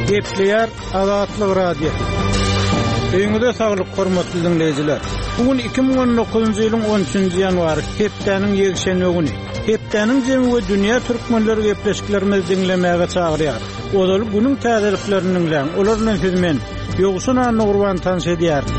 Gepleýär Azatlyk Radiosy. Öýüňize saglyk, hormatly diňleýjiler! Bu gün 2019-njy ýylyň 13-nji ýanwary, hepdäniň ýekşenbe güni. Hepdäniň jemi we dünýä türkmenleri gepleşiklerimizi diňlemäge çagyrýar. Ozaly günüň täzeliklerini diňläň, olar bilen sizi men, Ýowşan Annagurban tanyş edýärin.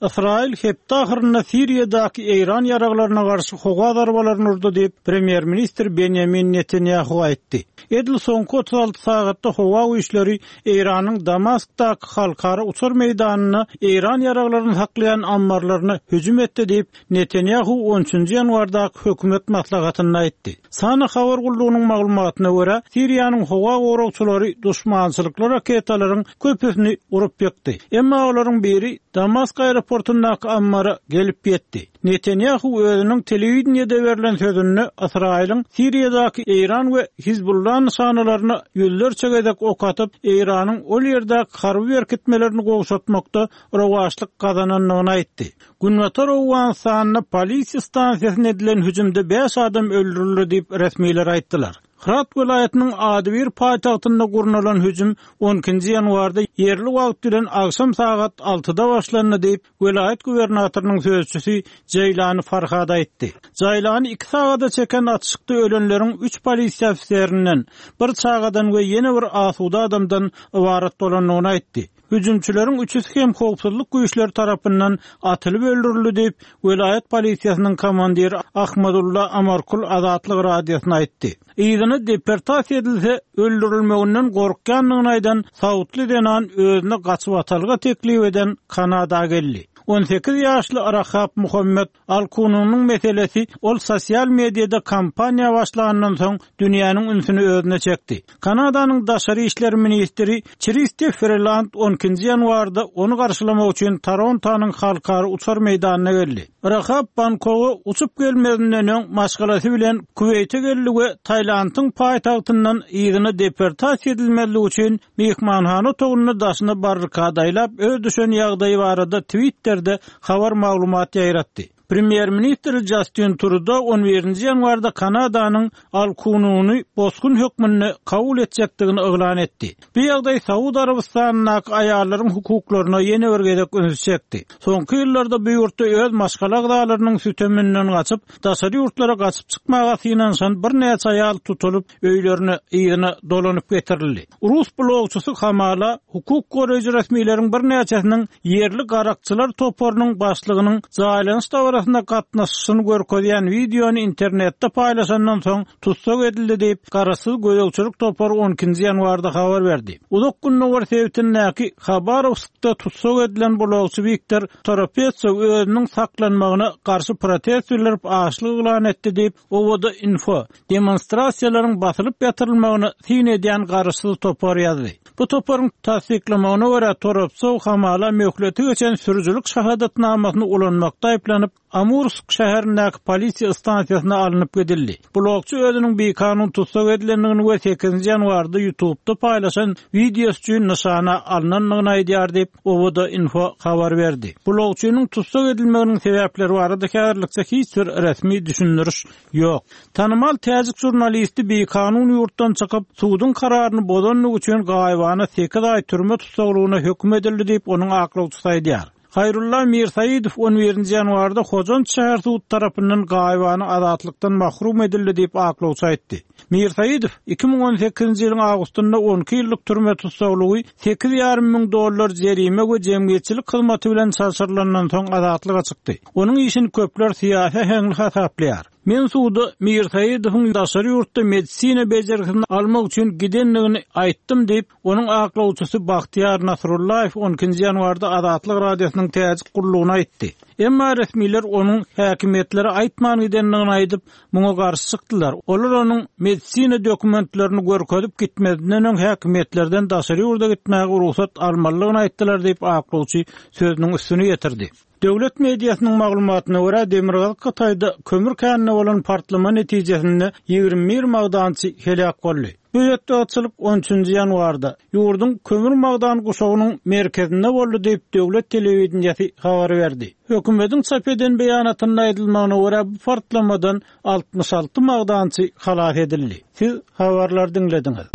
Ysraýyl hepde ahyrynda Siriýadaky Eýran ýaraglaryna garşy howa zarbalaryny urdy diýip, premýer-ministr Benýamin Netanýahu aýtdy. Edil soňky 36 sagatda howa güýçleri Eýranyň Damaskdaky halkara uçar meýdanynda eýran ýaraglaryny saklaýan ammarlaryna hüjüm etdi diýip, Netanýahu on üçünji ýanwardaky hökümet maslahatynda aýtdy. Sana habar gullugynyň maglumatyna görä, Siriýanyň howa goragçylary duşmançylykly raketalaryň köpüsini urup ýykdy. Emma olaryň biri Damask aeroportundaky ammara gelip ýetdi. Netanýahu özüniň telewideniýede berlen sözünde Ysraýylyň Siriýadaky Eýran we Hizbullah nyşanalaryna ýüzlerçe gezek ok atyp, Eýranyň ol ýerdäki harby berkitmelerini gowşatmakda rowaçlyk gazanandygyny aýtdy. Günbatar Owganystanda polisiýa stansiýasyna edilen hüjümde bäş adam öldürildi diýip, resmiler aýtdylar. Hyrat welaýatynyň adybir paýtagtynda gurnalan hüjüm on ikinji ýanwarda ýerli wagt bilen agşam sagat altyda başlandy diýip, welaýat gubernatorynyň sözçüsi Jeýlany Farhad aýtdy. Jaýlany iki sagada çeken atyşykda ölenleriň üç polisiýa ofiserinden, bir çagadan we ýene bir asuda adamdan ybarat bolandygyny aýtdy. Hüjümçileriň üçüsi hem howpsuzlyk güýçleri tarapyndan atylyp öldürildi diýip, welaýat polisiýasynyň komandiri Ahmadulla Amarkul Azatlyk Radiosyna aýtdy. Yzyna deportasiýa edilse, öldürilmeginden gorkýandygyny aýdan saudly zenan özüne gaçybatalga teklip eden Kanada geldi. 18 ýaşly Rahab Muhammed Al-Kununyň meselesi ol sosial mediada kampaniýa başlandan soň dünýäniň ünsüni özüne çekdi. Kanadanyň daşary işler ministri Çristi Freland on ikinji ýanwarda ony garşylamak üçin Torontonyň halkara uçar meýdanyna geldi. Rahab Bangkoga uçup gelmezinden öň maşgalasy bilen Kuweýte geldi we Tailandyň paýtagtyndan yzyna deportasiýa edilmezligi üçin myhmanhana otagynda daşyna barrikada aýlap öz düşen ýagdaýy barada Twitterde habar-maglumat ýaýratdy. Premýer-ministr Jastin Trudo on birinji ýanwarda Kanadanyň Al-Kununy bosgun hökmünde kabul etjekdigini yglan etdi. Bu ýagdaý Saud Arabystanyndaky aýallaryň hukuklaryna ýene bir gezek ünsi çekdi. Soňky ýyllarda bu ýurtda öz maşgala agzalarynyň süteminden gaçyp, daşary ýurtlara gaçyp çykmaga synanyşan birnäçe aýal tutulyp, öýlerine yzyna dolanyp getirildi. Rus blogçysy hamala hukuk goraýjy resmileriň birnäçesiniň ýerli garakçylar toparynyň başlygynyň jaýlanyş dabarasyna gatnaşyşyny görkezýän wideony internetde paýlaşandan soň tussag edildi diýip, garaşsyz gözegçilik topary on ikinji ýanwarda habar berdi. Uzak Gündogar sebitindäki Habarowskda tussag edilen blogçy Wiktor Toropetsow özüniň saklanmagyna garşy protest bildirip açlyk yglan etdi diýip, Owada-info, demonstrasiýalaryň basylyp ýatyrylmagyna syn edýän garaşsyz topar ýazdy. Bu toparyň tassyklamagyna görä, Toropsow hamala möhleti geçen sürüjilik şahadatnamasyny ulanmakda aýyplanyp, Amursk şäherindäki polisiýa stansiýasyna alnyp gidildi. Blogçy özüniň bikanun tussag edilendigini we sekizinji ýanwarda YouTubda paýlaşan wideosy üçin nyşana alnandygyny aýdýar diýip, Owada-info habar berdi. Blogçynyň tussag edilmeginiň sebäpleri barada häzirlikçe hiç bir resmi düşündiriş ýok. Tanymal täjik žurnalisti bikanun ýurtdan çykyp, suduň kararyny bozandygy üçin gaýybana sekiz aý türme tussaglygyna höküm edildi diýip, onuň aklawçysy aýdýar. Haýrulla Mirsaidow on birinji ýanwarda Hojant şäher sudy tarapyndan gaýybana azatlykdan mahrum edildi diýip, aklawçy aýtdy. Mirsaidow 2018-nji ýylyň awgustynda on iki ýyllyk türme tussaglygy, sekiz ýarym müň dollar jerime we jemgyýetçilik hyzmaty bilen çalşyrylandan soň azatlyga çykdy. Onuň işini köpler syýasy äheňli hasaplaýar. Men suda Mirsaidowyň daşary ýurtda medisina bejergisini almak üçin gidendigini aýtdym diýip, onuň aklawçysy Bahtiýar Nasrullaýew on ikinji ýanwarda Azatlyk Radiosynyň täjik gullugyna aýtdy. Emma resmiler onuň häkimiýetlere aýtman gidendigini aýdyp, muňa garşy çykdylar. Olar onuň medisina dokumentlerini görkezip gitmezinden öň häkimiýetlerden daşary ýurda gitmäge rugsat almalydygyny aýtdylar diýip, aklawçy sözüniň üstüni ýetirdi. Döwlet mediasynyň maglumatyna görä, demirgazyk Hytaýda kömür käninde bolan partlama netijesinde 21 magdançy heläk boldy. Bu betbagtçylyk on üçünji ýanwarda, ýurduň kömür-magdan guşagynyň merkezinde boldy diýip, döwlet telewideniýesi habar berdi. Hökümetiň çap eden beýanatynda aýdylmagyna görä, bu partlamadan 66 magdançy halas edildi. Siz habarlary diňlediňiz.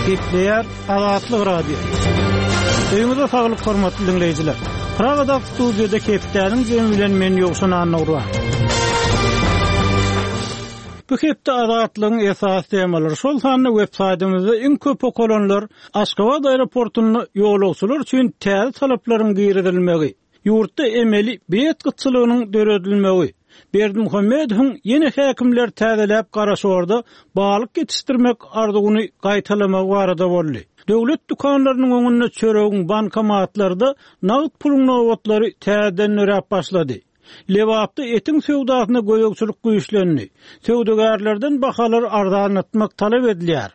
Gepleýär Azatlyk Radiosy. Öýüňize saglyk hormatly diňleýjiler. Pragadaky studiýada hepdäniň jemi bilen men Ýowşan Annagurban. Bu hepde Azatlygyň esasy temalary, şol sanda web saýtymyzda iň köp okalanlar Aşgabat aeroportunda ýolagçylar üçin täze talaplaryň girizilmegi, ýurtda emeli bilet gytçylygynyň döredilmegi, Berdimuhamedowyň ýene häkimleri täzeläp Garaşorda balyk ýetişdirmek arzuwyny gaýtalamagy barada boldy. Döwlet dükanlarynyň öňünde çöregiň, bankomatlarda nagt puluň nobatlary täzeden döräp başlady. Lebapda etiň söwdasyna gözegçilik güýçlendi. Söwdagärlerden bahalary arzanlatmak talap edilýär.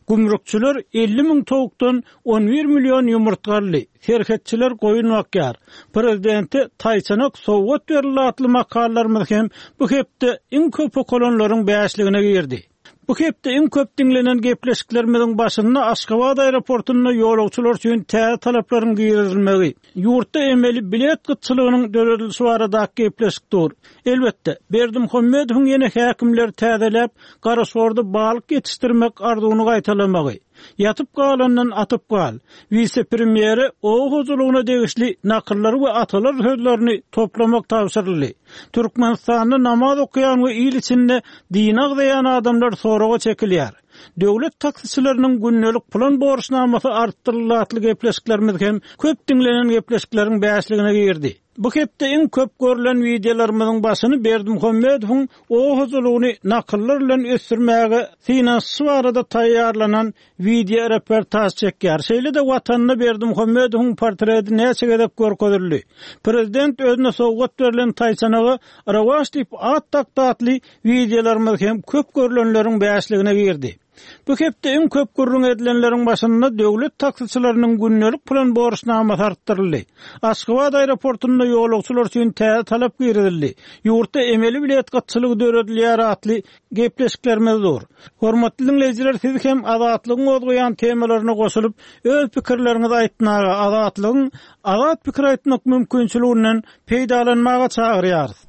Gümrükçiler 50 müň towukdan 11 million ýumurtga aldy, serhetçiler goýun bakýar, prezidente taýçanak sowgat berildi atly makalalarymyz hem bu hepde iň köp okalanlaryň bäşligine girdi. Bu hepde iň köp diňlenen gepleşiklerimiziň başynda Aşgabat aeroportunda ýolagçylar üçin täze talaplaryň girizilmegi, Ýurtda emeli bilet gytçylygynyň döredilişi baradaky gepleşik dur. Elbetde, Berdimuhamedowyň ýene häkimleri täzeläp, Garaşorda balyk ýetişdirmek arzuwyny gaýtalamagy. Ýatyp galandan atyp gal. Wise-premýere oba hojalygyna degişli nakyllary we atalar sözlerini toplamak tabşyryldy. Türkmenistanda namaz okaýan we il içinde dini agzaýan adamlar soraga çekilýär. Döwlet taksiçileriniň gündelik plan borçnamasy artdyryldy atly gepleşiklerimiz hem köp diňlenen gepleşikleriň bäşligine girdi. Bu hepde iň köp görlen wideolarymyzyň başyny Berdimuhamedowyň oba hojalygyny nakyllar bilen ösdürmäge synanyşyşy barada taýýarlanan wideoreportaž çekýär. Şeýle-de Watanda Berdimuhamedowyň portreti näçe gezek görkezildi. Prezident özüne sowgat berlen taýçanaga Rowaç diýip at dakdy atly Wideolarymyz hem köp görlenleriň bäşligine girdi. Bu hepde iň köp gürrüň edilenleriň başynda döwlet taksiçileriniň gündelik plan borçnamasy artdyryldy. Aşgabat aeroportunda ýolagçylar üçin täze talap girizildi. Ýurtda emeli bilet gytçylygy döredilýär atly gepleşiklerimiz dur. Hormatly diňleýjiler siz hem Azatlygyň gozgaýan temalaryna goşulyp, öz pikirleriňizi aýtmaga, Azatlygyň azat pikir aýtmak mümkinçiliginden peýdalanmaga çagyrýarys.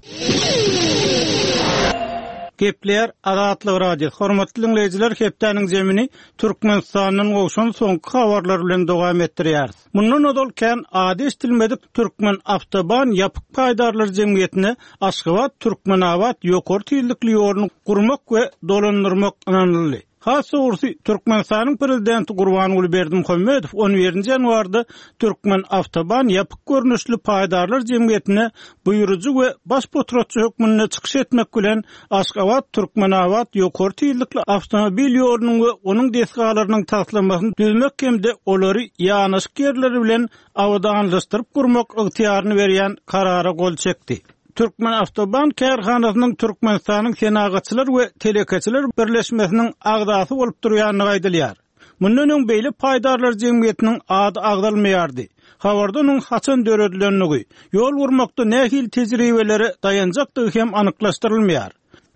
Gepleýär Azatlyk Radiosy. Hormatly diňleýjiler, hepdäniň zemini Türkmenistandan gowşan soňky habarlar bilen dowam etdirýäris. Mundan ozal kän ady eşidilmedik Türkmen Awtoban ýapyk paýdarlar jemgyýetine Aşgabat, Türkmenabat ýokary tizlikli ýoluny gurmak we dolandyrmak ynanyldy. Has dogrusy, Türkmenistanyň Prezidenti Gurbanguly Berdimuhamedow on birinji ýanwarda Türkmenawtoban ýapyk görnüşli paýdarlar jemgyýetine buýrujy we baş potratçy hökmünde çykyş etmek bilen, Aşgabat-Türkmenabat ýokary tizlikli awtomobil ýolunyň we onuň desgalarynyň taslamasyny düzmek hem-de olary ýanaşyk ýerleri bilen abadanlaşdyryp gurmak ygtyýaryny berýän Karara gol çekdi. Türkmenawtoban kärhanasynyň Türkmenistanyň Senagatçylar we telekeçiler birleşmesiniň agzasy bolup durýandygy aýdylýar. Mundan öň beýle paýdarlar jemgyýetiniň ady agzalmaýardy. Habarda onuň haçan döredilendigi, ýol gurmakda nähili tejribelere daýanjakdygy hem anyklaşdyrylmaýar.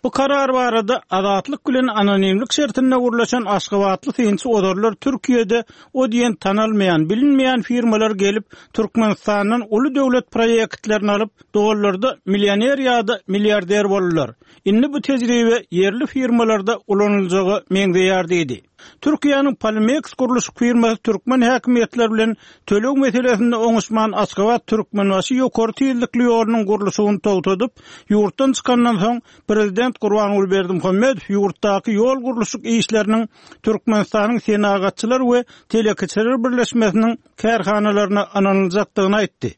Bu karar barada Azatlyk bilen anonimlik şertinde gürleşen aşgabatly synçy ozallar Türkiýede o diýen tanalmaýan, bilinmeýän firmalar gelip, Türkmenistandan uly döwlet proýektlerini alyp, dollarda millioner ýa-da milliarder boldular. Indi bu tejribe ýerli firmalarda ulanyljaga meňzeýär diýdi. Türkiýäniň Polimeks gurluşyk firmasy türkmen häkimiýetleri bilen töleg meselesinde oňuşman Aşgabat-Türkmenbaşy ýokary tizlikli ýolunyň gurluşygyny togtadyp, ýurtdan çykandan soň, prezident Gurbanguly Berdimuhamedow ýurtdaky ýol gurluşyk işleriniň Türkmenistanyň Senagatçylar we telekeçiler birleşmesiniň kärhanalaryna ynanyljakdygyny aýtdy.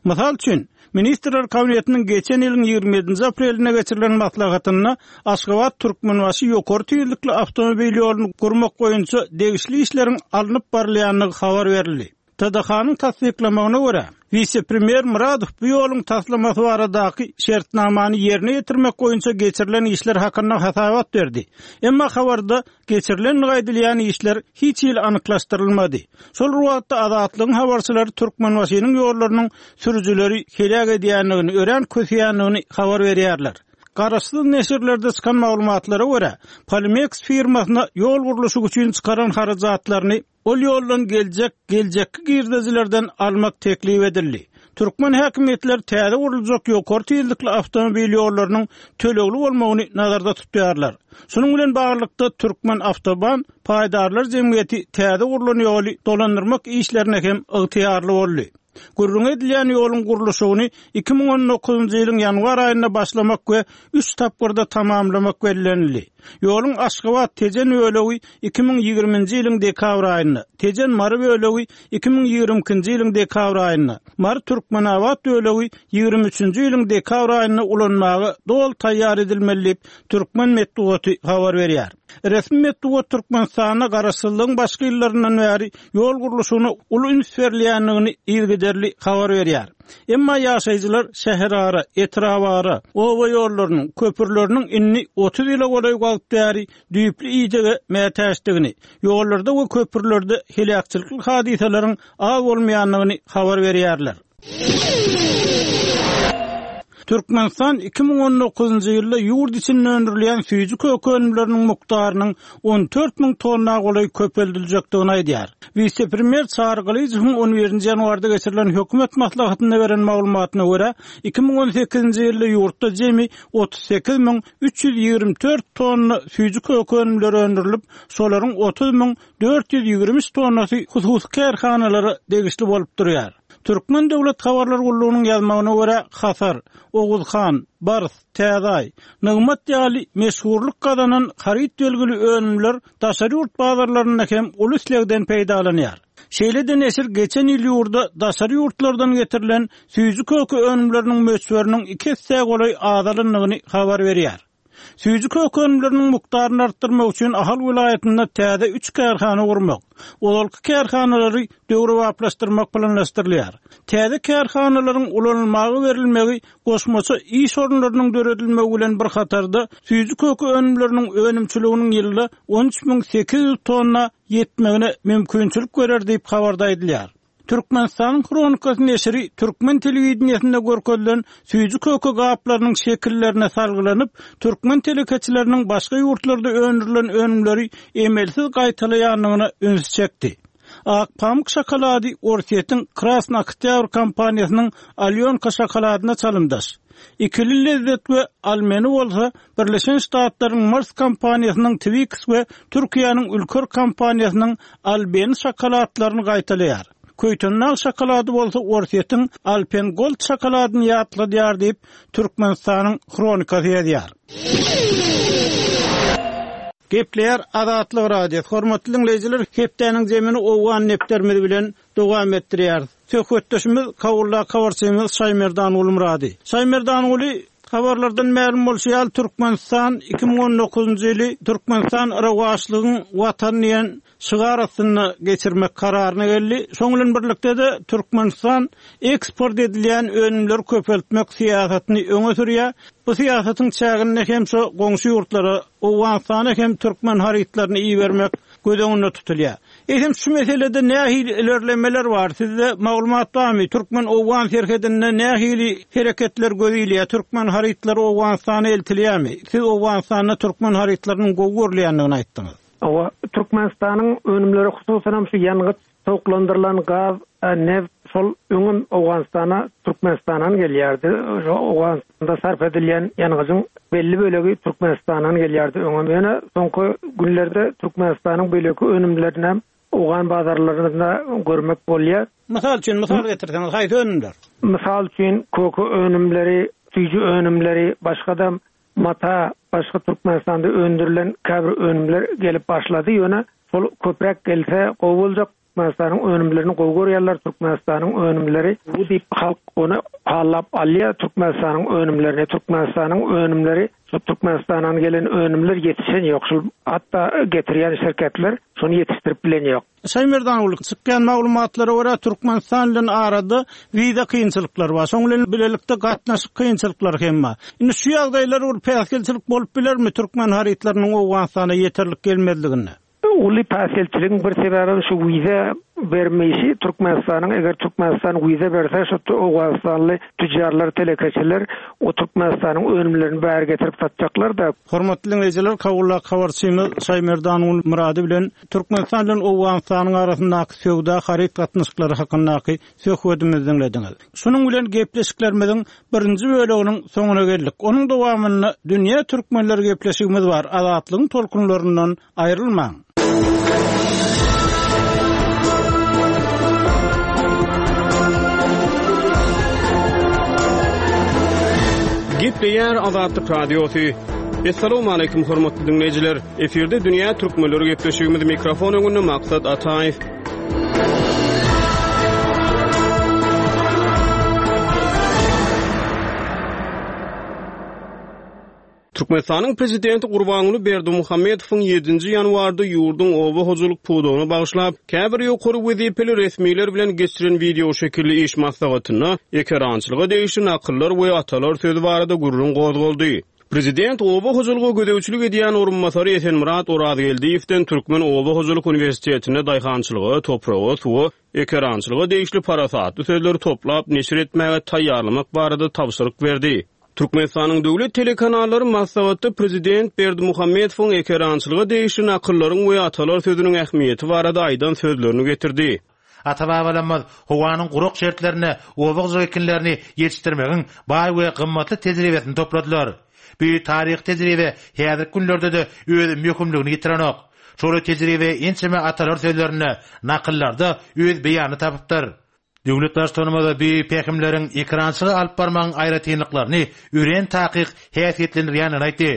Mysal üçin, Ministrler Kabinetiniň geçen ýylyň 27-nji aprelinde geçirilen maslahatynda Aşgabat-Türkmenbaşy ýokary tizlikli awtomobil ýoluny gurmak boýunça degişli işleriň alnyp barylýandygy habar berildi. TDH-nyň tassyklamagyna görä, wise-premýer Myradow bu ýoluň taslamasy baradaky şertnamany ýerine ýetirmek boýunça geçirilen işler hakynda hasabat berdi. Emma habarda Geçirilendigi aýdylýan işler hiç hili anyklaşdyrylmady. Şol bir wagtda Azatlygyň habarçylary Türkmenbaşynyň ýollarynyň sürüjileri heläk edýändigini, örän köseýändigini habar berýärler. Garaşsyz neşirlerde çykan maglumatlara görä, Polimeks firmasyna ýol gurluşygy üçin çykaran harajatlaryny Ol ýoldan geljek geljekki girdejilerden almak teklip edildi. Türkmen häkimiýetleri täze guruljak ýokary tizlikli awtomobil ýollarynyň tölegli bolmagyny nazarda tutýarlar. Şunuň bilen baglylykda, Türkmenawtoban paýdarlar jemgyýeti täze gurlan ýoly dolandyrmak işlerine hem ygtyýarly boldy. Gürrüňi edilýän ýoluň gurluşygyny 2019-njy ýylyň ýanwar aýynda başlamak we üç tapgyrda tamamlamak bellenildi. Ýoluň Aşgabat, Tejen bölegi 2020-nji ýylyň dekabr aýynda, Tejen, Mary bölegi 2022-nji ýylyň dekabr aýynda, Mary, Türkmenabat bölegi ýigrimi üçünji ýylyň dekabr aýynda ulanmaga doly taýýar edilmeli diýip, türkmen metbugaty habar berýär. Resmi metbugat Türkmenistanda garaşsyzlygyň başky ýyllaryndan bäri ýol gurluşygyna uly üns berilýändigini yzygiderli habar berýär. Emma ýaşaýjylar şäherara, etrabara, oba ýollarynyň, köprüleriniň indi 30 ýyla golaý wagt bäri düýpli idege mätäçdigini, ýollarda we köprülerde heläkçilikli hadysalaryň az bolmaýandygyny habar berýärler. Türkmenistan 2019-njy ýylda ýurt içinde öndürilýän süýji-köke önümleriniň mukdarynyň 14 müň tonna golaý köpeldiljekdigini aýdýar. Wise-premýer Çary Gylyjowyň on birinji ýanwarda geçirilen hökümet maslahatynda beren maglumatyna görä, 2018-nji ýylda ýurtda jemi 38 324 tonna süýji-köke önümleri öndürilip, şolaryň 30 423 tonnasy hususy kärhanalara degişli bolup durýar. Türkmen döwlet habarlar gullugynyň ýazmagyna görä, Hasar, Oguzhan, Bars, Täze Aý, Nygmat ýaly meşhurlyk gazanan haryt belgili önümler daşary ýurt bazarlarynda hem uly islegden peýdalanýar. Şeýle-de neşir geçen ýyl ýurda daşary ýurtlardan getirilen süýji-köke önümleriniň möçberiniň iki essä golaý azalandygyny habar berýär. Süýji-köke önümleriniň mukdaryny artdyrmak üçin Ahal welaýatynda täze üç kärhana gurmak, ozalky kärhanalary döwrebaplaşdyrmak planlaşdyrylýar. Täze kärhanalaryň ulanylmaga berilmegi goşmaça iş orunlarynyň döredilmegi bilen bir hatarda, süýji-köke önümleriniň önümçiliginiň ýylda 13 800 tonna ýetmegine mümkinçilik berer diýip, habarda aýdylýar. Türkmenistanyň Hronikasy neşiri türkmen telewideniýesinde görkezilen süýji-köke gaplarynyň şekillerine salgylanyp, türkmen telekeçileriniň başga ýurtlarda öndürilen önümleri emelsiz gaýtalaýandygyna ünsi çekdi. Ak pamyk şokolady Orsýetiň Krasnyý Oktýabr kompaniýasynyň Alýonka şokoladyna çalymdaş. Ikili lezzet we Almeni bolsa Birleşen Ştatlaryň Mars kompaniýasynyň Twix we Türkiýäniň Ülker kompaniýasynyň Albeni şokoladlaryny gaýtalaýar. Köýtendag şokolady bolsa Orsýetiň Alpen Gold şokoladyny ýatladýar diýip, Türkmenistanyň Hronikasy ýazýar. Gepleýär Azatlyk Radiosy. Hormatly diňleýjiler, hepdäniň zemini owgan nepderimiz bilen dowam etdirýäris. Söhbetdeşimiz Kabuldaky habarçymyz Şaýmerdan Gulmyrady. Şaýmerdan Guly, habarlardan mälim bolşy ýaly, Türkmenistan 2019-njy ýyly Türkmenistan rowaçlygyň Watany diýen şygar astynda geçirmek kararyna geldi. Şonuň bilen birlikde-de Türkmenistan eksport edilýän önümleri köpeltmek syýasatyny öňe sürýär. Bu syýasatyň çäginde hem şu goňşy ýurtlara, Owganystana hem türkmen harytlaryny ibermek göz öňünde tutulýar. Eýsem şu meselede nähili ilerlemeler bar? Sizde maglumat barmy? Türkmen-owgan serhedinde nähili hereketler göz ilýär? Türkmen harytlary Owganystana eltilýärmi? Siz Owganystanda türkmen harytlarynyň gowy görülýändigini aýtdyňyz. Hawa, Türkmenistanyň önümleri, hususanam şu ýangyç, sowuklandyrylan gaz, neft şol öňem Owganystana Türkmenistandan gelýärdi. Şo Owganystanda sarp edilýän ýangyjyň belli bölegi Türkmenistandan gelýärdi öňem. Ýöne soňky günlerde Türkmenistanyň beýleki önümlerinem owgan bazarlarynda görmek bolýar. Mysal üçin, mysal getirseňiz, haýsy önümler? Mysal üçin, köke önümleri, süýji önümleri, başga-da mata, başga Türkmenistanda öndürilen käbir önümler gelip başlady. Ýöne şol köpräk gelse gowy boljak. Türkmenistanyň önümlerini gowy görýärler, Türkmenistanyň önümleri gowy diýip halk ony hallap alýar, Türkmenistanyň önümlerini, Türkmenistanyň önümleri şu Türkmenistandan gelen önümler ýetişen ýok, şul hatda getirýän şirketler şony ýetişdirip bilen ýok. Şaýmerdan uly, çykýan maglumatlara görä Türkmenistan bilen arada wiza kynçylyklary bar, şoň bilen bilelikde gatnaşyk kynçylyklary hem bar. Indi şu ýagdaýlar bir päsgelçilik bolup bilermi türkmen harytlarynyň Owganystana ýeterlik gelmezliginde? Uly päsgelçiligiň bir sebäbem şu wiza bermeýşi Türkmenistanyň eger Türkmenistan wiza berse şu owganystanly tüjjarlar telekeçiler o Türkmenistanyň önümlerini bäri getirip satjaklar-da. Hormatly diňleýjiler Kabuldaky habarçymyz Şaýmerdan Gulmyrady bilen Türkmenistan bilen Owganystanyň arasyndaky söwda haryt gatnaşyklary hakyndaky söhbedimizi diňlediňiz. Şunuň bilen gepleşiklerimiziň birinji böleginiň soňuna geldik. Onuň dowamynda Dünýä türkmenleri gepleşigimiz bar. Azatlygyň tolkunlaryndan aýrylmaň! Gepleýär Azatlyk Radiosy. Assalamualaikum hormatly diňleýjiler. Efirde dünýä türkmenleri gepleşigimiz mikrofon öňünde Maksat Ataýew. Türkmenistanyň Prezidenti Gurbanguly Berdimuhamedowyň ýedinji ýanwarda ýurduň oba hojalyk pudagyna bagyşlap, käbir ýokary wezipeli resmiler bilen geçiren wideoşekilli iş maslahatynda ekerançylyga degişli nakyllar we atalar sözi barada gürrüň gozgaldy. Prezident oba hojalyga gözegçilik edýän orunbasary Esenmyrat Orazgeldiýewden Türkmen oba hojalyk uniwersitetinde daýhançylyga, topraga, suwa, ekerançylyga degişli parasatly sözleri toplap neşir etmäge taýýarlamak barada tabşyryk berdi. Türkmenistanyň döwlet telekanallary maslahatda prezident Berdimuhamedowyň ekerançylyga degişli nakyllaryň we atalar sözüniň ähmiýeti barada aýdan sözlerini getirdi. Ata-babalarymyz howanyň gurak şertlerinde oba hojalyk ekinlerini ýetişdirmegiň baý we gymmatly tejribesini topladylar. Bu taryhy tejribe häzirki günlerde-de öz möhümligini ýitirenok. Şol tejribe ençeme atalar sözlerinde, nakyllarda öz beýanyny tapypdyr. Döwlet Baştutanymyz bu pähimleriň ekerançylygy alyp barmagyň aýratynlyklaryny örän takyk häsiýetlendirýändigini aýtdy.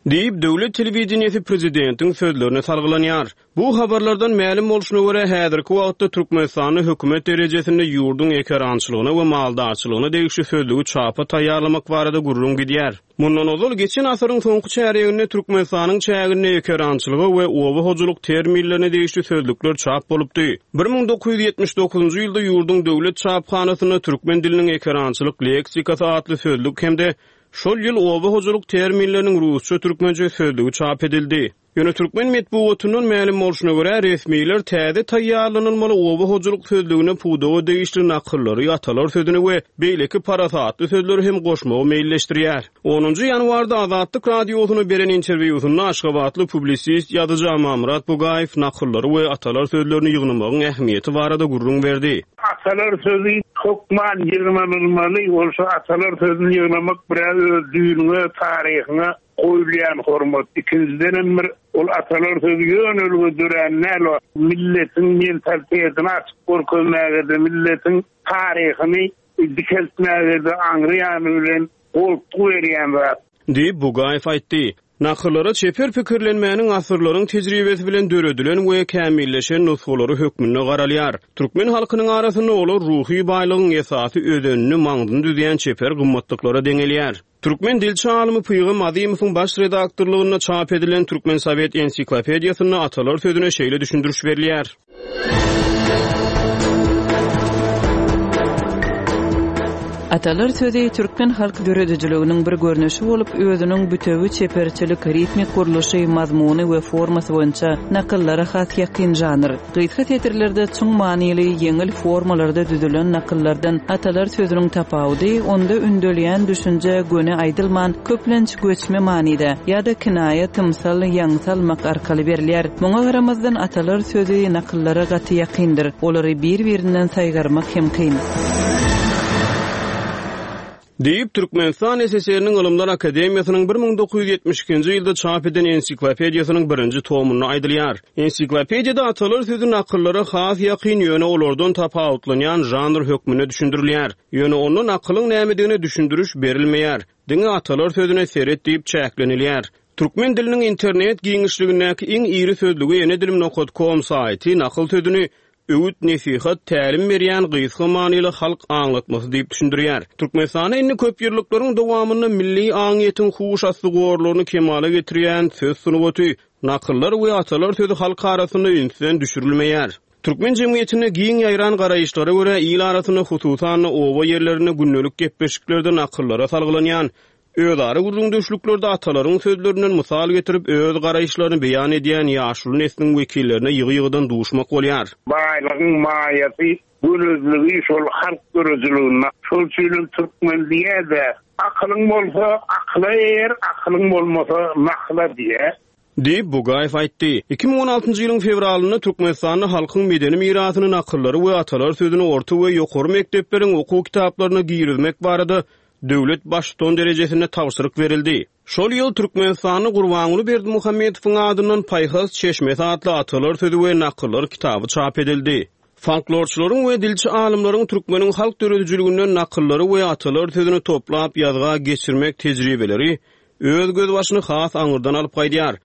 Diýip, döwlet telewideniýesi prezidentiň sözlerine salgylanýar. Bu habarlardan mälim bolşuna görä, häzirki wagtda Türkmenistanda hökümet derejesinde ýurduň ekerançylygyna we maldarçylygyna degişli sözlügi çapa taýýarlamak barada gürrüň gidýär. Mundan ozal, geçen asyryň soňky çärýeginde Türkmenistanyň çäginde ekerançylyga we oba hojalyk terminlerine degişli sözlükler çap bolupdy. 1979-njy ýylda ýurduň döwlet çaphanasynda Türkmen diliniň ekerançylyk leksikasy atly sözlük hem-de Şol ýyl oba hojalyk terminleriniň rusça-türkmençe sözlügi çap edildi. Ýöne türkmen metbugatyndan mälim bolşuna görä, resmiler täze taýýarlanylmaly oba hojalyk sözlügine pudaga degişli nakyllary, atalar sözüni we beýleki parasatly sözleri hem goşmagy meýilleşdirýär. Onunjy ýanwarda Azatlyk Radiosyna beren interwýusynda aşgabatly publisist ýazyjy Amanmyrat Bugaýew nakyllary we atalar sözlerini ýygnamagyň ähmiýeti barada gürrüň berdi. Atalar sözi hökman ýygnanylmaly, ol şu atalar sözüni ýygnamak bir-ä öz düýnüňe, taryhyňa goýulýan hormat, ikinjidenem bir ol atalar sözi ýönelige dörän däl, o milletiň mentalitetini açyp görkezmäge-de, milletiň taryhyny dikeltmäge-de aňry ýany bilen goltgy berýän zat. Diýip, Bugaýew aýtdy. Nakyllara çeper pikirlenmäniň asyrlaryň tejribesi bilen döredilen we kämilleşen nusgalary hökmünde garalýar. Türkmen halkynyň arasynda olar ruhy baýlygyň esasy özenini, maňzyny düzýän çeper gymmatlyklara deňelýär. Türkmen dilçi alymy Pygam Azymowyň baş redaktorlygynda çap edilen Türkmen sowet ensiklopediýasynda atalar sözüne şeýle düşündiriş berilýär. Atalar sözi türkmen halk döredijiliginiň bir görnüşi bolup, özüniň bütewi çeperçilik, ritmik gurluşy, mazmuny we formasy boýunça nakyllara has ýakyn žanr. Gysga setirlerde çuň manyly, ýeňil formalarda düzülen nakyllardan atalar sözüniň tapawudy, onda ündelýän düşünje göni aýdylman, köplenç göçme manyda ýa-da kinaýa, tymsal, ýaňsa almak arkaly berilýär. Muňa garamazdan, atalar sözi nakyllara gaty ýakyndyr. Olary bir-birinden saýgarmak hem kyn. Diýip, Türkmenistan SSR-niň Ylymlar akademiýasynyň 1972-nji ýylda çap eden ensiklopediýasynyň birinji tomunda aýdylýar. Ensiklopediýada atalar sözi nakyllara has ýakyn, ýöne olardan tapawutlanýan žanr hökmünde düşündirilýär. Ýöne onda nakylyň nämedigine düşündiriş berilmeýär. Diňe atalar sözüne seret diýip çäklenilýär. Türkmen diliniň internet giňişligindäki iň iri sözlügi Ene dilim nokat kom saýty nakyl sözüni öwüt-nesihat, tälim berýän gysga manyly halk aňlatmasy diýip düşündirýär. Türkmenistanda indi köp ýyllyklaryň dowamynda milli aňyýetiň huş asty gorlaryny kemala getirýän söz sungaty, nakyllar we atalar sözi halk arasynda ünsden düşürilmeýär. Türkmen jemgyýetinde giň ýaýran garaýyşlara görä, il arasynda, hususan-da, oba ýerlerinde gündelik gepleşiklerde nakyllara salgylanýan. Özara gürrüňdeşliklerde atalaryň sözlerinden mysal getirip, öz garaýyşlaryny beýan edýän ýaşuly nesliň wekillerine ýygy-ýygydan duşmak bolýar. Baýlygyň maýasy, gönezligi şol halk döredijiliginde. Şol üçinem türkmen diýýär-dä, Akylyň bolsa, akyla eýer, akylyň bolmasa, nakyla diýýär. Diýip, Bugaýew aýtdy. 2016-njy ýylyň fewralynda Türkmenistanda halkyň medeni mirasyny nakyllary we atalar sözüni orta we ýokary mekdepleriň okuw kitaplaryna girizmek barada döwlet Baştutan derejesinde tabşyryk berildi. Şol ýyl Türkmenistanda Gurbanguly Berdimuhamedowyň adyndan Paýhas çeşmesi atly atalar sözi we nakyllar kitaby çap edildi. Folklorçylaryň we dilçi alymlaryň türkmeniň halk döredijiliginden nakyllary we atalar sözüni toplap ýazga geçirmek tejribeleri öz gözbaşyny has aňyrdan alyp gaýdýar.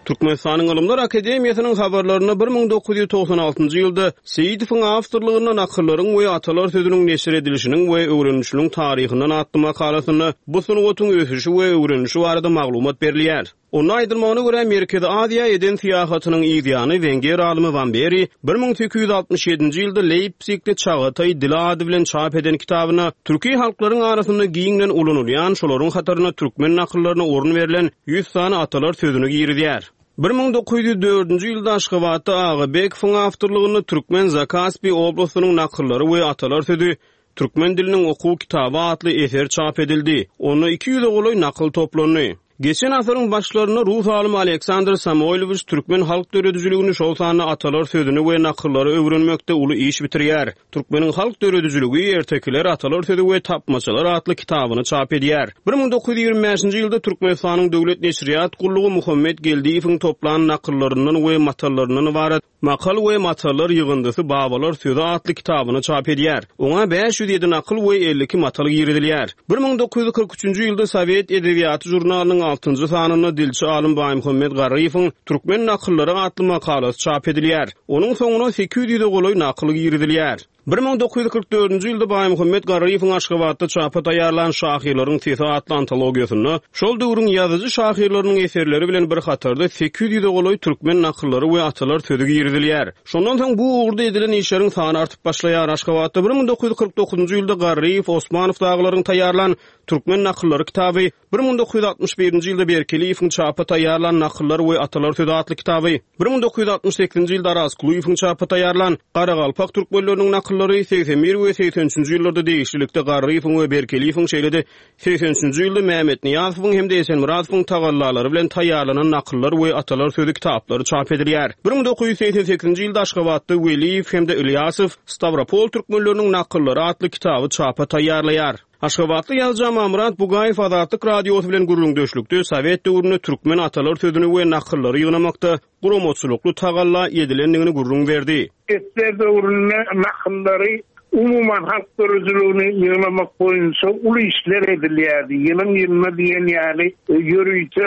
Türkmenistanyň Ylymlar akademiýasynyň habarlarynda 1996-njy ýylda Seýidowyň awtorlygynda Nakyllaryň we atalar sözüniň neşir edilişiniň we öwrenilişiniň taryhyndan atly makalasynda bu sungatyň ösüşi we öwrenilişi barada maglumat berilýär. Onda aýdylmagyna görä, Merkezi Aziýa eden syýahatynyň yz ýany wenger alymy Wamberi 1867-nji ýylda Leýpsigde Çagataý dili ady bilen çap eden kitabynda türki halklaryň arasynda giňden ulanylýan, şolaryň hatarynda türkmen nakyllaryna orun berlen ýüz sany atalar sözüni girizýär. 1904-nji ýylda Aşgabatda Agabekowyň awtorlygynda Türkmen Zakaspi oblastynyň nakyllary we atalar sözi Türkmen diliniň okuw kitaby atly eser çap edildi. Onda iki ýüze golaý nakyl toplandy. Geçen asyryň başlarynda rus alymy Aleksandr Samoýlowiç türkmen halk döredijiligini, şol sanda atalar sözüni we nakyllary öwrenmekde uly iş bitirýär. Türkmeniň halk döredijiligi, ertekiler, atalar sözi we tapmaçalar atly kitabyny çap edýär. 1925-nji ýylda Türkmenistanyň Döwlet neşirýat gullugy Muhammet Geldiýewiň toplan nakyllaryndan we matallaryndan ybarat Makal we matallar ýygyndysy Babalar sözi atly kitabyny çap edýär. Oňa 507 nakyl we 52 matal girizilýär. 1943-nji ýylda Sowet edebiýaty žurnalynyň altynjy sanynda dilçi alym Baýmuhammet Garryýewiň Türkmen nakyllary atly makalasy çap edilýär. Onuň soňuna 800 ýüze golaý nakyl girizilýär. 1944-nji ýylda Baýmuhammet Garryýewiň Aşgabatda çapa taýýarlan Şahyrlaryň sesi atly antologiýasynda şol döwrüň ýazyjy-şahyrlarynyň eserleri bilen bir hatarda 800 ýüze golaý türkmen nakyllary we atalar sözi girizilýär. Şondan soň bu ugurda edilen işleriň sany artyp başlaýar. Aşgabatda 1949-njy ýylda Garryýew, Osmanow dagylaryň taýýarlan Türkmen nakyllary kitaby, 1961-nji ýylda Berkeliýewiň çapa taýýarlan Nakyllar we atalar sözi atly kitaby, 1968-nji ýylda Araz Kulyýewiň çapa taýýarlan Garagalpak türkmenleriniň nakyllary, 81 we 83-nji ýyllarda degişlilikde Garryýewiň we Berkeliýewiň şeýle-de 83-nji ýylda Mämmet Nyýazowyň hem-de Esenmyradowyň tagallalary bilen taýýarlanan Nakyllar we atalar sözi kitaplary çap edilýär. 1988-nji ýylda Aşgabatda Weliýew hem-de Ylýasow Stawropol türkmenleriniň nakyllary atly kitaby çapa taýýarlaýar. Aşgabatly ýazyjy Amanmyrat Bugaýew Azatlyk Radiosy bilen gürrüňdeşlikde sowet döwründe türkmen atalar sözüni we nakyllary ýygnamakda guramaçylykly tagalla edilendigini gürrüň berdi. Ssr döwründe nakyllary, umuman halk döredijiligini ýygnamak boýunça uly işler edilýärdi. Ýylyň-ýylyna diýen ýaly ýörite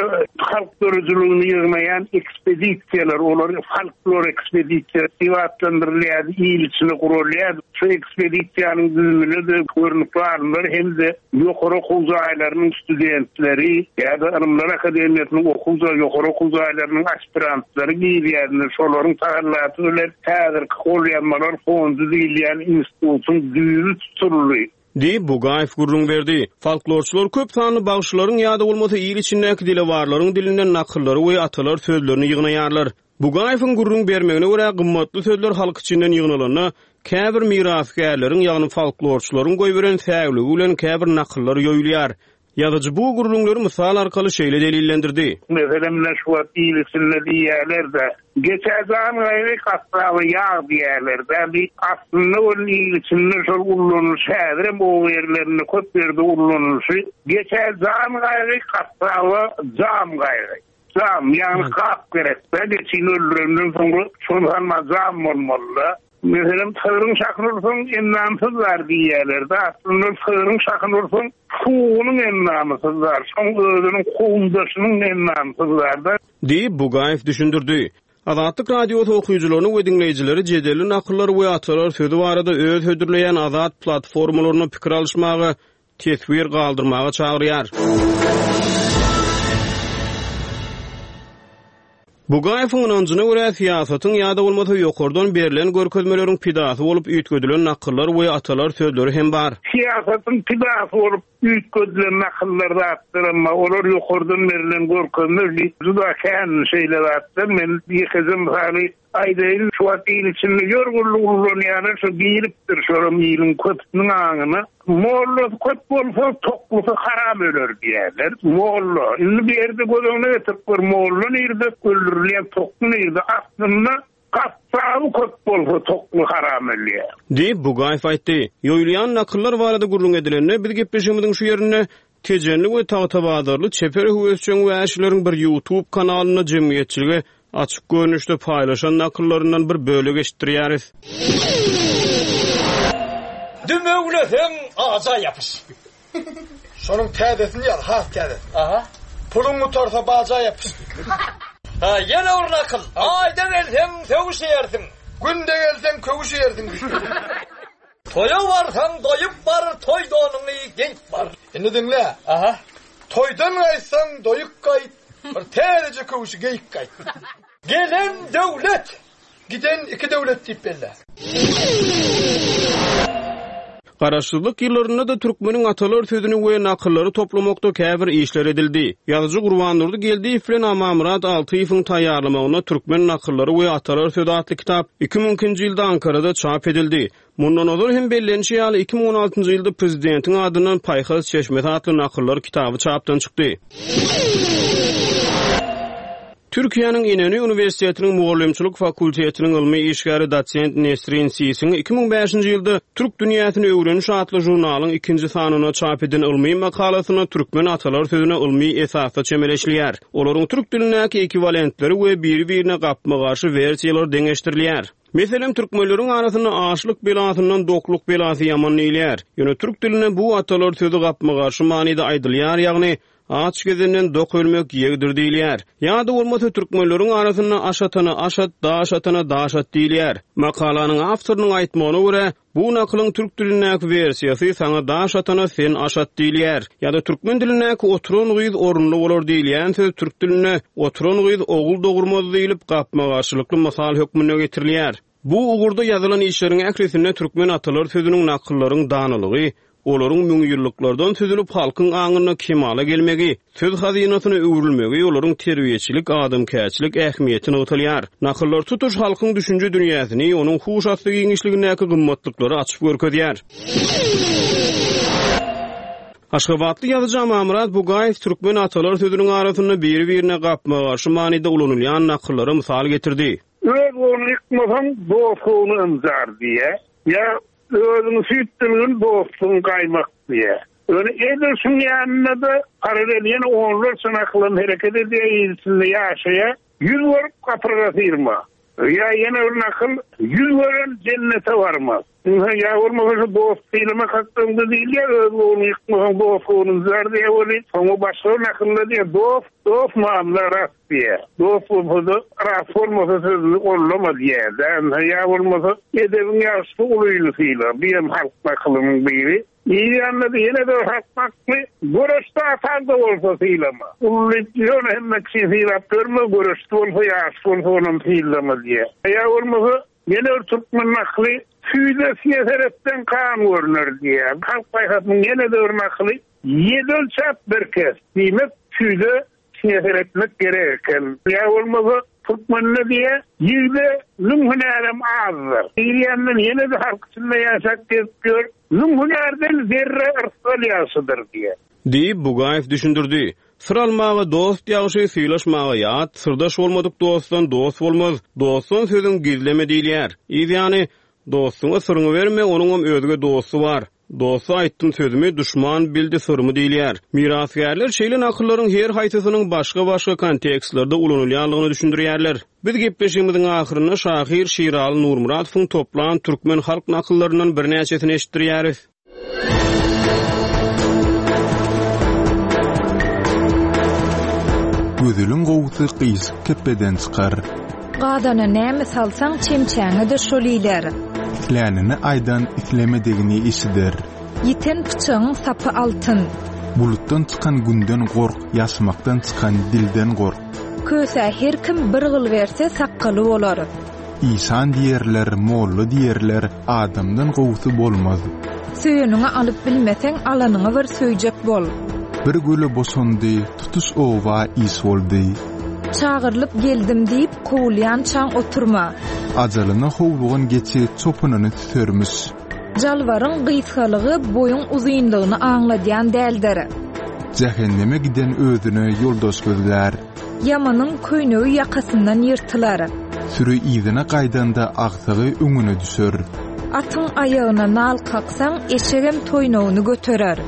halk döredijiligini ýygnaýan ekspedisiýalar, olar folklor ekspedisiýasy diýip atlandyrylýardy, il içinde guralýardy. Şu ekspedisiýanyň düzümine-de görnükli alymlar hem-de ýokary okuw jaýlarynyň studentleri ýa-da Ylymlar akademiýasynyň okuw jaý, ýokary okuw jaýlarynyň aspirantlary girýärdiler. Şolaryň tagallasy bilen häzirki Golýazmalar fondy diýilýän institutyň düýbi tutuldy. Diýip, Bugaýew gürrüň berdi. Folklorçylar köp sanly bagşylaryň ýa-da bolmasa il içindäki dilewarlaryň dilinden nakyllary we atalar sözlerini ýygnaýarlar. Bugaýewiň gürrüň bermegine görä, gymmatly sözler halk içinden ýygnalanda, käbir mirasgärleriň, ýagny folklorçylaryň goýberen säwligi bilen käbir nakyllar ýoýulýar. Ýazyjy bu gürrüňleri mysal arkaly şeýle delillendirdi. Meselem, ine şu wagt il içinde diýýärler-de, Geçä jan gaýgy, gassaba ýag diýýärler-dä. Bi aslynda welin il içinde şol ullanylyşy häzirem oba ýerlerinde köp ýerde ullanylyşy, Geçä jan gaýgy, gassaba jam gaýgy. Jam, ýagny gap gerek-dä, geçini öldürenden soňra şol salma jam bolmaly-da. Meselem, sygryň şahyny ursaň, endamy syzlar diýýärler-de, aslynda sygryň şahyny ursaň, sugunyň endamy syzlar, şoň özüniň kowumdaşynyň endamy syzlar-da. Diýip, Bugaýew düşündirdi. Azatlyk Radiosy okyjylaryny we diňleýjileri jedelli nakyllar we atalar sözi barada öz hödürleýän azat platformalarynda pikir alyşmaga, teswir galdyrmaga çagyrýar. Bugaýewiň ynanjyna görä, syýasatyň ýa-da bolmasa ýokardan berlen görkezmeleriň pidasy bolup üýtgedilen nakyllar we atalar sözleri hem bar. Syýasatyň pidasy bolup üýtgedilen nakyllar zatlaram bar. Olar ýokardan berlen görkezme juda kän şeýle zatlar. Men ýekeje mysaly Aýdaýyn, şu wagt il içinde ýörgünli ullanýanlar şo giripdir, şolam iliň köpüsiniň aňyna. Mollasy köp bolsa, toklusy haram öler diýýärler. Molla, indi bu ýerde göz öňüne getirip gör, molla nirde, öldürilýän tokly nirde? Aslynda gassaby köp bolsa, tokly haram ölýär. Diýip, Bugaýew aýtdy. Ýoýulýan nakyllar barada gürrüň edilende, biz gepleşigimiziň şu ýerinde Tejenli we tagtabazarly çeper höwesjeň wäşileriň bir YouTube kanalynda jemgyýetçilige açyk görnüşde paýlaşan nakyllaryndan bir bölek eşitdirýäris. Dümewleseň aja ýapyş. Şonuň täzesini ýaz, has täzesini. Aha. Puluň gutarsa baja ýapyş. Ha, ýene bir nakyl. Aýda gelseň sögüş iýersiň. Günde gelseň köwüş iýersiň. Toýa barsaň doýup bar, toý donuňy geýip bar. Indi diňle. Aha. Toýdan gaýtsaň doýuk gaýt, bir täzeje köwşi geýip gaýt. Gelen döwlet, giden iki döwlet diýip belle. Garaşsyzlyk ýyllarynda-da türkmeniň atalar sözüni we nakyllary toplamakda käbir işler edildi. Ýazyjy Gurbandurdy Geldiýew bilen Amanmyrat Altyýewiň taýýarlamagynda Türkmen nakyllary we atalar sözi atly kitap 2002-nji ýylda Ankarada çap edildi. Mundan ozal hem bellenişi ýaly, 2016-njy ýylda prezidentiň adyndan Paýhas çeşmesi atly nakyllar kitaby çapdan çykdy. Türkiýäniň Inönü uniwersitetiniň mugallymçylyk fakultetiniň ylmy işgäri dosent Nesrin Sisiň 2005-nji ýylda Türk dünýäsini öwreniş atly žurnalyň ikinji sanynda çap eden ylmy makalasynda türkmen atalar sözüne ylmy esasda çemeleşilýär. Olaryň türk dilindäki ekwiwalentleri we biri-birine gapma-garşy wersiýalary deňeşdirilýär. Meselem, türkmenleriň arasynda açlyk belasyndan dokluk belasy ýaman diýilýär. Ýöne türk dilinde bu atalar sözi gapma-garşy manyda aýdylýar, ýagny Aç gezenden dok ölmek ýegdir diýilýär. Ýa-da bolmasa türkmenleriň arasynda aş atana aş at, daş atana daş at diýilýär. Makalanyň awtorynyň aýtmagyna görä, bu nakylyň türk dilindäki wersiýasy saňa daş atana sen aş at diýilýär. Ýa-da türkmen dilindäki oturan gyz orunly bolar diýilýän söz türk dilinde oturan gyz ogul dogurmaz diýlip gapma-garşylykly mysal hökmünde getirilýär. Bu ugurda ýazylan işleriň ählisinde türkmen atalar sözüniň nakyllaryň danalygy, olaryň müňýyllyklardan süzülip halkyň aňynda kemala gelmegi, söz hazynasyna öwrülmegi, olaryň terbiýeçilik, adamkärçilik ähmiýeti nygtalýar. Nakyllar tutuş halkyň düşünje dünýäsini, onuň huş asty giňişligindäki gymmatlyklary açyp görkezýär. Aşgabatly ýazyjy Amanmyrat Bugaýew türkmen atalar sözüniň arasynda biri-birine gapma-garşy manyda ulanylýan nakyllara mysal getirdi. Öz goluny ýykmasaň, dostlugyny ynjar diýýär. Ýa özüňi süýt bilgin, dostuňy gaýmak diýýär. Ýöne edil şuň ýanynda-da paralel ýene onlarça nakylam hereket edýär, il içinde ýaşaýar. Ýüz görüp gapyrga syrma. Ýa ýene bir nakyl, Ýüz gören jennete barmaz. Ynha, ýa bolmasa şu dost sylamak hakda diýilýär, öz goluny ýykmasaň, dost goluny ynjar diýýär weli, soňra başga bir nakylda diýýär, Dost, dost mamla rast diýýär. Dost bolsa-da, rast bolmasa sözüni gollama diýýär-dä. Ynha, ýa bolmasa, Edebiň ýagşysy ulyny syla. Bu hem halk nakylynyň biri. Diýýände-de ýene-de bir halk nakly, Göreşde ataň-da bolsa sylama. Uly ýöne hemme kişi sylap ýörme, göreşde bolsa, ýaşy bolsa onam sylama diýýär. Ýa bolmasa, Ýene bir türkmen nakyly, Süýde siýe seretseň gan görner diýýär. Halk paýhasynyň ýene-de bir nakyly, Ýedi ölçäp bir kes. Diýmek, süýde siýe seretmek gerek eken. Ýa bolmasa, türkmende diýýär, Ýigde müň hünärem azdyr. Diýýänden ýene-de halk içinde ýaşap gezip ýör, Müň hünärden zerre yrsgal ýagşydyr diýýär. Diýip, Bugaýew düşündirdi. Syr almaga dost ýagşy, sylaşmaga ýat, syrdaş bolmadyk dostdan dost bolmaz, dostdan sözüň gizleme diýilýär. Yz ýany, dostuňa syryňy berme, onuňam özge dosty bar. Dosta aýtdym sözümi, duşman bildi syrymy diýilýär. Mirasgärler şeýle nakyllaryň her haýsysynyň başga-başga kontekstlerde ulanylýandygyny düşündirýärler. Biz gepleşigimiziň ahyrynda şahyr Şiraly Nurmyradowyň toplan türkmen halk nakyllaryndan birnäçesini eşitdirýäris. Gözeliň gowusy gyşyk kepbeden çykar. Gazana näme salsaň, çemçäňe-de şol iler. Islänini aýdan islemedigini eşider. Ýiten pyçagyň sapy altyn. Bulutdan çykan günden gork, ýaşmakdan çykan dilden gork. Kösä her kim bir gyl berse, sakgaly bolar. Işan diýerler, molla diýerler, adamdan gowusy bolmaz. Söýeniňi alyp bilmeseň, alanyňy bir söýjek bol. Bir göle boşandy, tutuş oba iş boldy. Çagyrylyp geldim diýip, kowulýançaň oturma. Ajalyna howlugan geçi çopanyny süsermiş. Jalbaryň gysgalygy boýuň uzynlygyny aňladýan däldir. Jähenneme giden özüne ýoldaş gözlär. Ýamanyň köýnegi ýakasyndan ýyrtylar. Süri yzyna gaýdanda agsagy öňüne düşer. Atyň aýagyna nal kaksaň, eşegem toýnagyny göterer.